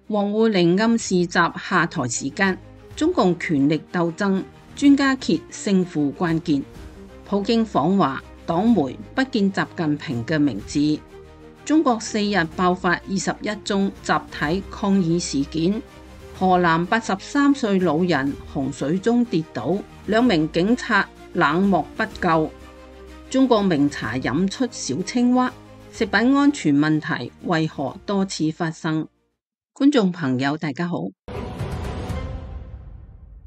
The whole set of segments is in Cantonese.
王滬寧暗示習下台時間，中共權力鬥爭，專家揭勝負關鍵。普京訪華，黨媒不見習近平嘅名字。中國4日爆發21宗集體抗議事件。河南83歲老人洪水中跌倒，2名警察冷漠不救。中國名茶飲出小青蛙，食品安全問題為何多次發生？觀眾朋友大家好。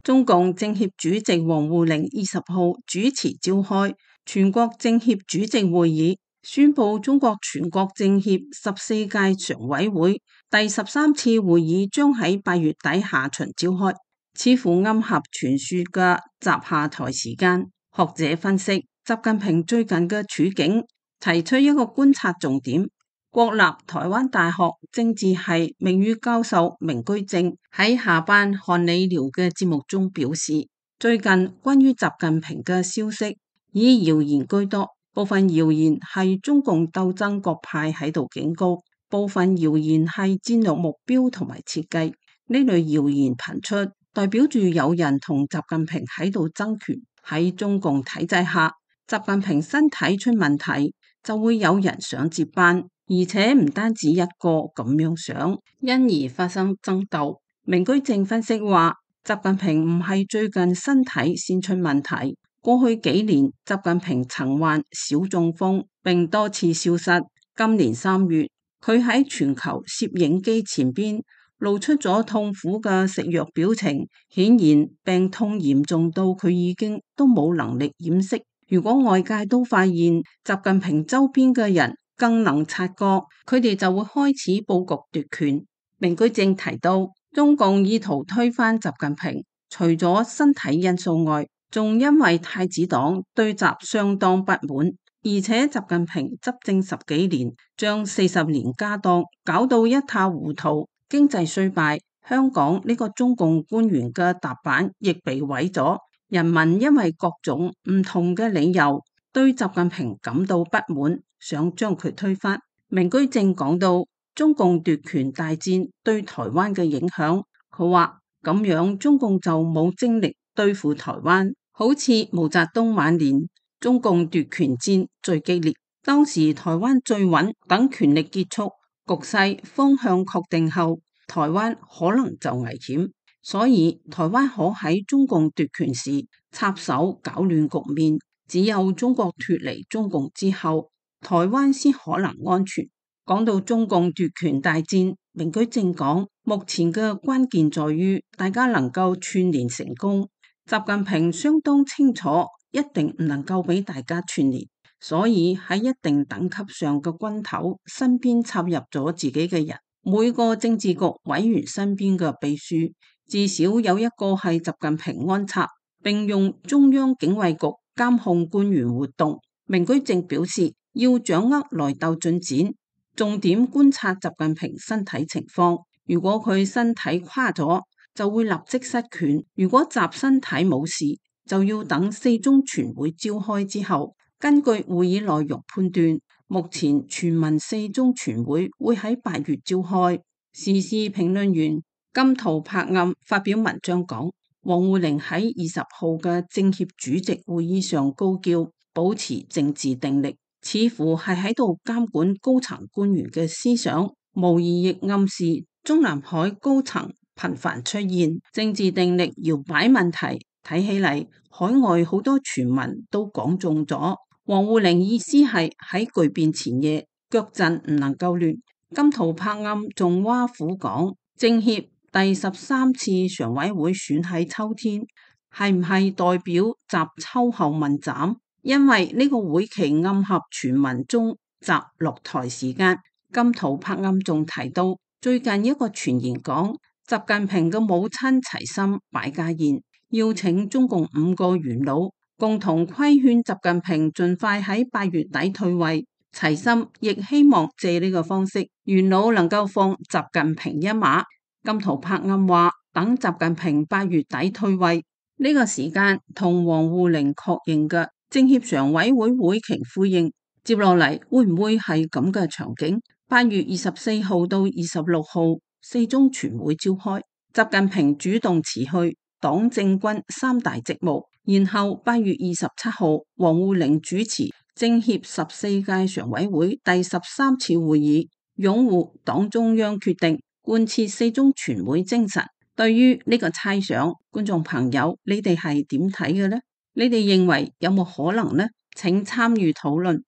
中共政協主席王滬寧20號主持召開全國政協主席會議，宣布中國全國政協14屆常委會第13次會議將喺8月底下旬召開，似乎暗合傳說嘅習下台時間。學者分析習近平最近嘅處境，提出一個觀察重點。國立台灣大學政治系名譽教授明居正喺下班看理療嘅節目中表示，最近關於習近平嘅消息以謠言居多，部分謠言係中共鬥爭各派喺度警告，部分謠言係戰略目標同埋設計。呢類謠言頻出，代表住有人同習近平喺度爭權。喺中共體制下，習近平身體出問題，就會有人想接班。而且唔單止一個咁樣想，因而發生爭鬥。明居正分析話，習近平唔係最近身體先出問題，過去幾年習近平曾患小中風並多次消失。今年3月，佢喺全球攝影機前邊露出咗痛苦嘅食藥表情，顯然病痛嚴重到佢已經都冇能力掩飾。如果外界都發現習近平周邊嘅人更能察覺，佢哋就會開始布局奪權。明居正提到，中共意圖推翻習近平，除咗身體因素外，仲因為太子黨對習相當不滿，而且習近平執政10幾年，將40年家當搞到一塌糊塗，經濟衰敗，香港呢個中共官員嘅踏板亦被毀咗，人民因為各種唔同嘅理由對習近平感到不滿，想將佢推翻。明居正講到中共奪權大戰對台灣嘅影響，佢話咁樣中共就冇精力對付台灣，好似毛澤東晚年中共奪權戰最激烈，當時台灣最穩，等權力結束，局勢方向確定後，台灣可能就危險，所以台灣可喺中共奪權時插手搞亂局面。只有中國脫離中共之後，台灣先可能安全。講到中共奪權大戰，明居正講，目前嘅關鍵在於大家能夠串聯成功。習近平相當清楚，一定唔能夠俾大家串聯，所以喺一定等級上嘅軍頭身邊插入咗自己嘅人，每個政治局委員身邊嘅秘書至少有一個係習近平安插，並用中央警衛局監控官員活動。明居正表示，要掌握內鬥進展，重點觀察習近平身體情況。如果佢身體垮咗，就會立即失權；如果習身體冇事，就要等4中全會召開之後，根據會議內容判斷。目前傳聞4中全會會喺8月召開。時事評論員金圖柏暗發表文章講，王滬寧喺20號嘅政協主席會議上高叫保持政治定力，似乎係喺度監管高層官員嘅思想，無疑亦暗示中南海高層頻繁出現政治定力搖擺問題。睇起嚟，海外好多傳聞都講中咗。王滬寧意思係喺巨變前夜，腳陣唔能夠亂。金圖柏暗仲挖苦講，政協第13次常委會選喺秋天，係唔係代表習秋後問斬？因為呢個會期暗合傳聞中習落台時間。金圖柏暗仲提到，最近一個傳言講，習近平嘅母親齊心擺家宴，邀請中共5個元老共同規勸習近平盡快喺8月底退位。齊心亦希望借呢個方式，元老能夠放習近平一馬。金圖柏暗話，等習近平8月底退位呢個時間，同王滬寧確認嘅政協常委會會期呼應。接落嚟會唔會係咁嘅場景？8月24號到26號，四中全會召開，習近平主動辭去黨政軍三大職務，然後8月27號，王滬寧主持政協14屆常委會第13次會議，擁護黨中央決定，貫徹四中全會精神。對於呢個猜想，觀眾朋友，你哋係點睇嘅呢？你哋認為有冇可能呢？請參與討論。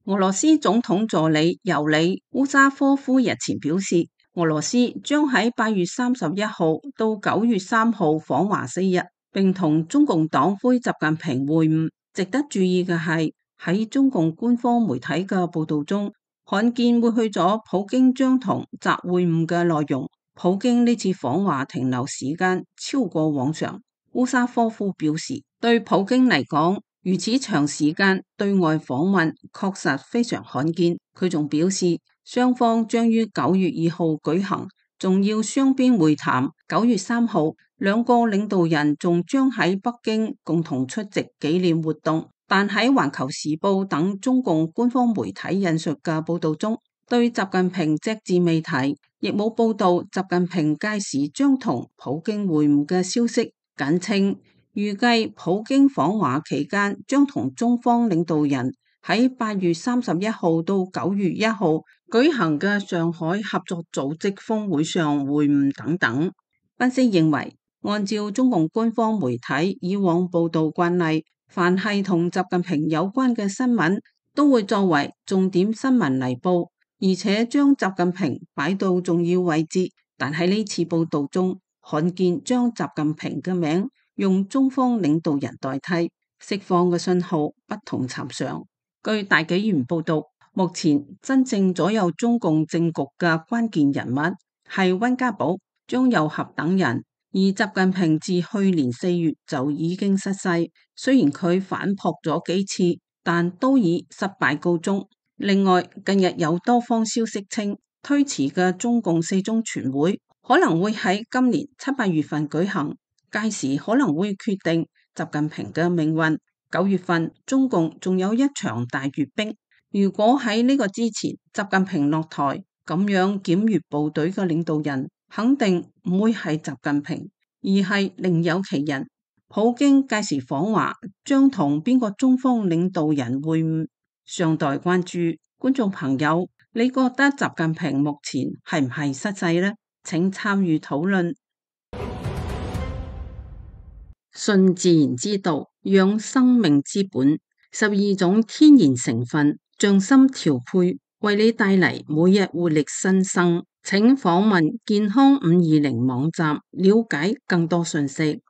俄羅斯總統助理尤里烏沙科夫日前表示，俄羅斯將喺8月31號到9月3號訪華4日，並同中共黨魁習近平會晤。值得注意嘅係，喺中共官方媒體嘅報道中，罕見會去咗普京將同習會晤嘅內容。普京呢次訪華停留時間超過往常。烏沙科夫表示，對普京嚟講，如此長時間對外訪問確實非常罕見。佢仲表示，雙方將於9月2號舉行重要雙邊會談。9月3號，兩個領導人仲將喺北京共同出席紀念活動。但喺環球時報等中共官方媒體引述嘅報道中，對習近平隻字未提，亦冇報道習近平屆時將同普京會晤嘅消息。簡稱預計普京訪華期間將同中方領導人喺8月31號到9月1號舉行嘅上海合作組織峰會上會晤等等。分析認為，按照中共官方媒體以往報道慣例，凡係同習近平有關嘅新聞都會作為重點新聞嚟報，而且將習近平擺到重要位置。但喺呢次報道中，罕見將習近平嘅名用中方領導人代替，釋放嘅信號不同尋常。據大紀元報道，目前真正左右中共政局嘅關鍵人物係溫家寶、張又俠等人，而習近平自去年4月就已經失勢。雖然佢反撲咗幾次，但都以失敗告終。另外，近日有多方消息稱，推遲嘅中共四中全會可能會喺今年7、8月份舉行，屆時可能會決定習近平嘅命運。9月份中共仲有一場大閱兵，如果喺呢個之前習近平落台，咁樣檢閱部隊嘅領導人肯定唔會係習近平，而係另有其人。普京屆時訪華將同邊個中方領導人會晤，尚待關注。觀眾朋友，你覺得習近平目前係唔係失勢呢？請參與討論。順自然之道，養生命之本，12種天然成分，匠心調配，為你帶嚟每日活力新生。請訪問健康520網站，了解更多信息。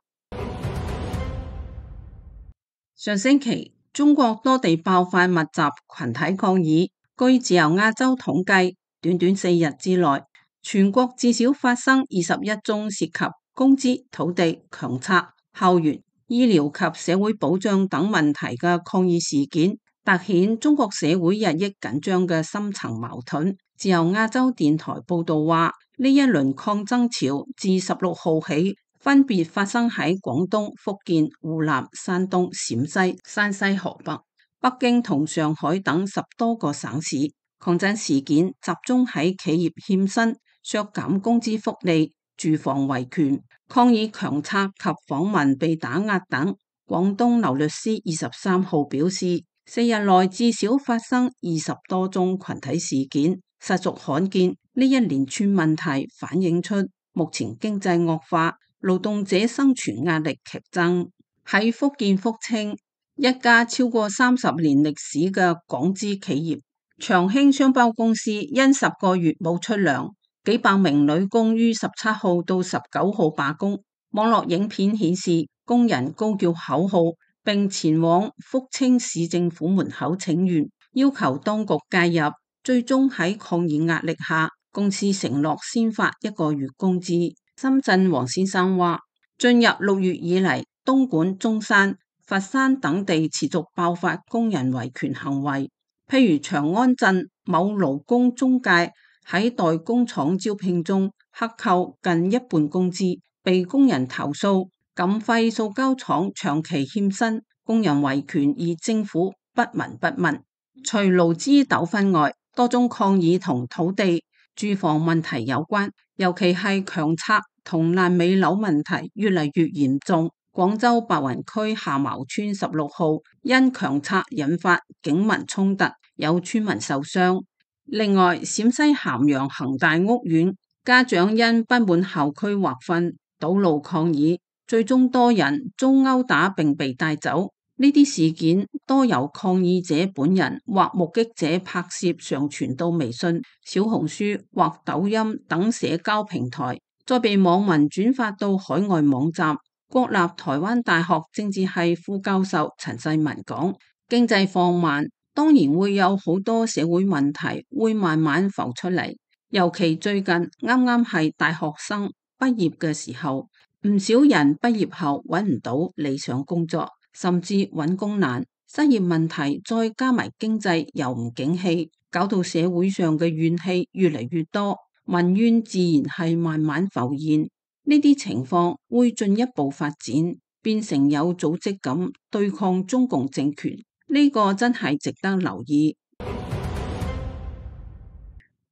上星期，中國多地爆發密集群體抗議。據自由亞洲統計，短短4日之內，全國至少發生21宗涉及工資、土地、強拆、校園、醫療及社會保障等問題嘅抗議事件，凸顯中國社會日益緊張嘅深層矛盾。自由亞洲電台報道話，呢一輪抗爭潮自16號起，分別發生喺廣東、福建、湖南、山東、陝西、山西、河北、北京同上海等10多個省市。抗爭事件集中喺企業欠薪、削減工資福利、住房維權、抗議強拆及訪民被打壓等。廣東劉律師23號表示，4日內至少發生20多宗群體事件，實屬罕見。呢一連串問題反映出目前經濟惡化，勞動者生存壓力劇增。喺福建福清，一家超過30年歷史嘅港資企業長興商包公司因10個月冇出糧，幾百名女工於17號到19號罷工。網絡影片顯示，工人高叫口號，並前往福清市政府門口請願，要求當局介入。最終喺抗議壓力下，公司承諾先發1個月工資。深圳黃先生話，進入6月以嚟，東莞、中山、佛山等地持續爆發工人維權行為，譬如長安鎮某勞工中介喺代工廠招聘中克扣近一半工資，被工人投訴。錦輝塑膠廠長期欠薪，工人維權而政府不聞不問。除勞資糾紛外，多宗抗議同土地、住房問題有關，尤其係強拆同爛尾樓問題越嚟越嚴重。廣州白雲區夏茅村16號因強拆引發警民衝突，有村民受傷。另外，陝西咸陽恒大屋苑家長因不滿校區劃分堵路抗議，最終多人遭毆打並被帶走。呢啲事件多由抗議者本人或目擊者拍攝上傳到微信、小紅書或抖音等社交平台，再被網民轉發到海外網站。國立台灣大學政治系副教授陳世文講：經濟放慢，當然會有好多社會問題會慢慢浮出嚟，尤其最近啱啱係大學生畢業嘅時候，唔少人畢業後揾唔到理想工作，甚至揾工難，失業問題再加埋經濟又唔景氣，搞到社會上嘅怨氣越嚟越多，民怨自然係慢慢浮現。呢啲情況會進一步發展，變成有組織咁對抗中共政權，呢個真係值得留意。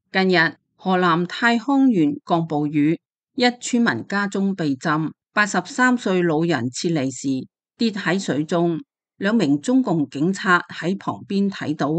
近日，河南太康縣降暴雨，一村民家中被浸，83歲老人撤離時跌喺水中，2名中共警察喺旁邊睇到，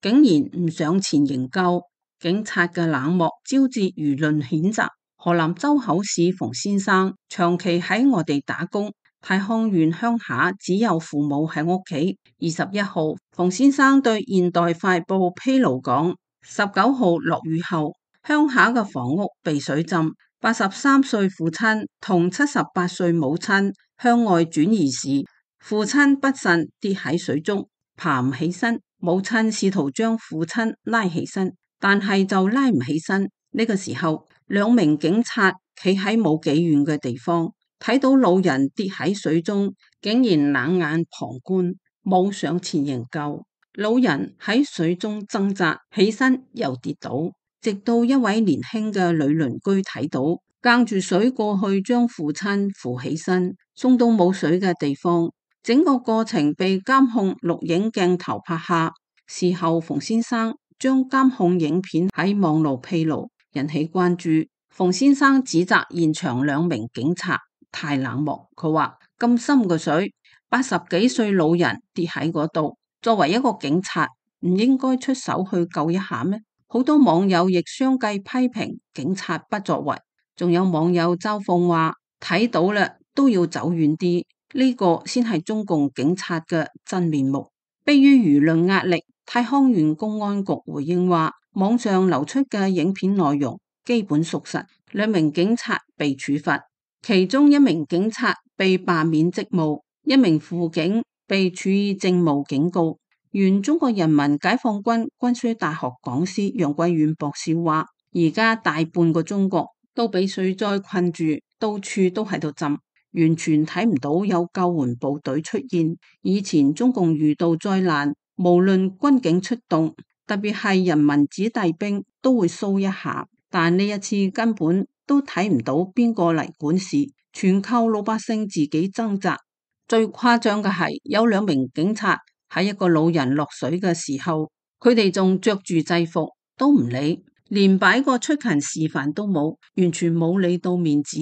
竟然唔上前營救，警察嘅冷漠招致輿論譴責。河南周口市馮先生長期喺外地打工，太康縣鄉下只有父母喺屋企。21號，馮先生對現代快報披露講，19號落雨後，鄉下嘅房屋被水浸，83歲父親同78歲母親向外轉移時，父親不慎跌喺水中，爬唔起身，母親試圖將父親拉起身，但係就拉唔起身。呢個時候，2名警察企喺冇幾遠嘅地方，睇到老人跌喺水中，竟然冷眼旁觀，冇上前營救。老人喺水中掙扎起身又跌倒，直到一位年輕嘅女鄰居睇到，隔住水過去將父親扶起身，送到冇水嘅地方。整個過程被監控錄影鏡頭拍下。事後馮先生將監控影片喺網絡披露，引起關注。馮先生指責現場2名警察太冷漠，佢話咁深嘅水，80幾歲老人跌喺嗰度，作為一個警察唔應該出手去救一下咩？好多網友亦相繼批評警察不作為，仲有網友嘲諷話睇到啦都要走遠啲，呢個先係中共警察嘅真面目。迫於輿論壓力，太康縣公安局回應話，網上流出嘅影片內容基本屬實，2名警察被處罰，其中1名警察被罷免職務，1名輔警被處以政務警告。原中國人民解放軍軍需大學講師楊貴遠博士話，而家大半個中國都被水災困住，到處都喺度浸，完全睇唔到有救援部隊出現。以前中共遇到災難，無論軍警出動，特別係人民子弟兵都會騷一下，但呢一次根本都睇唔到邊個嚟管事，全靠老百姓自己掙扎。最誇張嘅係有2名警察喺一個老人落水嘅時候，佢哋仲着住制服都唔理，連擺個出勤示範都冇，完全冇理到面子。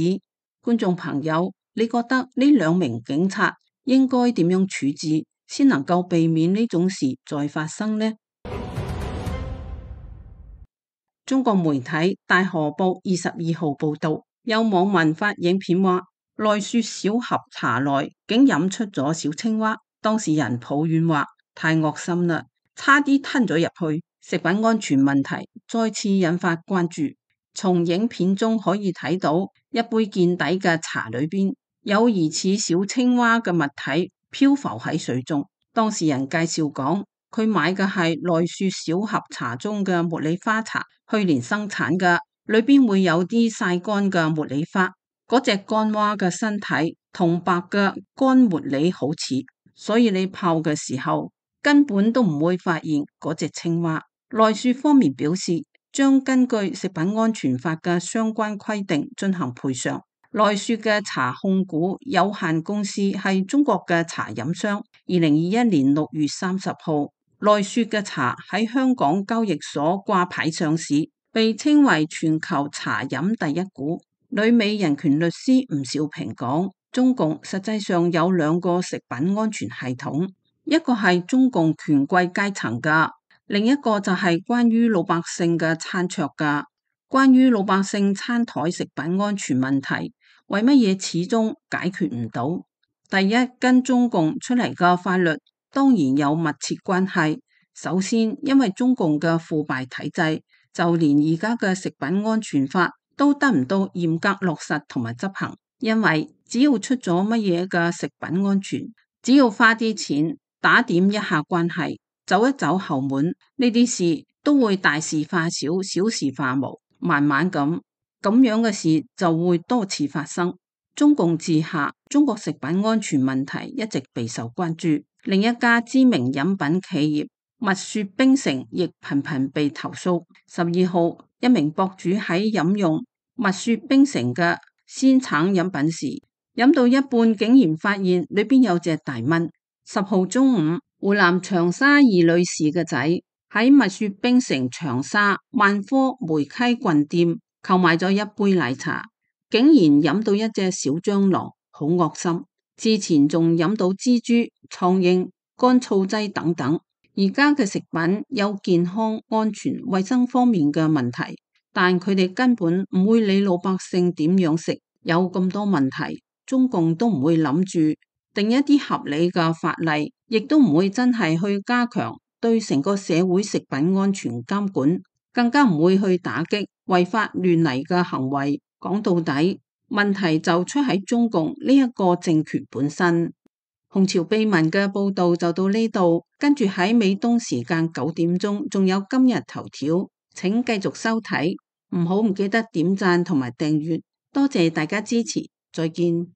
觀眾朋友，你覺得呢2名警察應該點樣處置，先能夠避免呢種事再發生呢？中國媒體大河報22號報道，有網民發影片話，來雪小盒茶內竟飲出咗小青蛙，當事人抱怨話太惡心啦，差啲吞咗入去。食品安全問題再次引發關注。從影片中可以睇到，一杯見底嘅茶裏邊有疑似小青蛙嘅物體漂浮喺水中。當事人介紹講，佢買嘅係來雪小盒茶中嘅茉莉花茶，去年生產嘅，裏邊會有啲曬乾嘅茉莉花。嗰隻乾蛙嘅身體同白嘅乾茉莉好似，所以你泡嘅時候根本都唔會發現嗰隻青蛙。來雪方面表示，將根據食品安全法嘅相關規定進行賠償。來雪嘅茶控股有限公司係中國嘅茶飲商，2021年6月30號奈雪嘅茶喺香港交易所掛牌上市，被稱為全球茶飲第一股。旅美人權律師吳兆平講，中共實際上有兩個食品安全系統，一個係中共權貴階層嘅，另一個就係關於老百姓嘅餐桌嘅。關於老百姓餐台食品安全問題，為乜嘢始終解決唔到？第一，跟中共出嚟嘅法律當然有密切關係。首先，因為中共嘅腐敗體制，就連而家嘅食品安全法都得唔到嚴格落實同埋執行。因為只要出咗乜嘢嘅食品安全，只要花啲錢打點一下關係，走一走後門，呢啲事都會大事化小，小事化無。慢慢咁樣嘅事就會多次發生。中共治下，中國食品安全問題一直備受關注。另一家知名飲品企業蜜雪冰城亦頻頻被投訴。12號，一名博主喺飲用蜜雪冰城嘅鮮橙飲品時，飲到一半竟然發現裏邊有隻大蚊。10號中午，湖南長沙二女士嘅仔喺蜜雪冰城長沙萬科梅溪郡店購買咗一杯奶茶，竟然飲到一隻小蟑螂，好惡心。之前仲飲到蜘蛛、蒼蠅、乾燥劑等等。而家嘅食品有健康、安全、衛生方面嘅問題，但佢哋根本唔會理老百姓點樣食，有咁多問題，中共都唔會諗住定一啲合理嘅法例，亦都唔會真係去加強對成個社會食品安全監管，更加唔會去打擊違法亂嚟嘅行為。講到底，問題就出喺中共呢一個政權本身。紅潮秘聞嘅報道就到呢度，跟住喺美東時間9點鐘，仲有今日頭條，請繼續收睇，唔記得點讚同埋訂閱，多謝大家支持，再見。